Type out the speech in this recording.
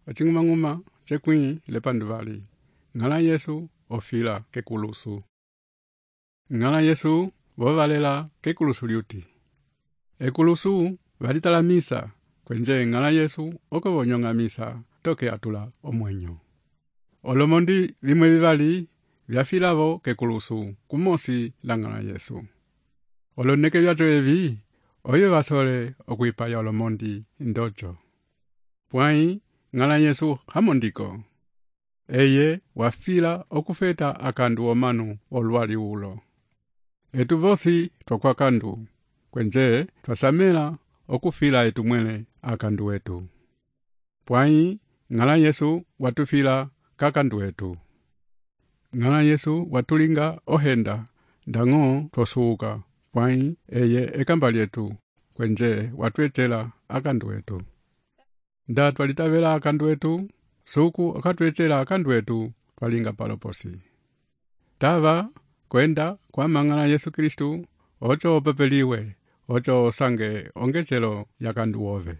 acing'umang'uma cekwĩ lepanduvali. Ng'ala Yesu ofila kekulusu. Ng'ala Yesu vovalela kekulusu liuti. Ekulusu valitala misa kwenje ng'ala Yesu oko vonyong'a misa toke atula omwenyo. Olomondi vimwe vivali vyafilavo kekulusu kumosi la ng'ala Yesu. Oloneke vyato evi oyo vasole okwipaya olomondi ndocho. Pwai ng'ala Yesu hamondiko. Eye wafila okufeta akandu omanu olwali ulo. Etu vosi twakwa kandu kwenje twasamela okufila etumwele akandu etu. Pwai ng'ala Yesu watufila kakandu etu. Ng'ala Yesu watulinga ohenda ndang'o tosuuka. Pwai eye ekamba lyetu kwenje watwechela akandu etu. Nda twalitavela akandu etu, suku akatwechela akandu etu twalinga paloposi. Tava kwenda kwa mang'ala Yesu Kristu ocho opepeliwe, ocho sange ongechelo yakandu ove.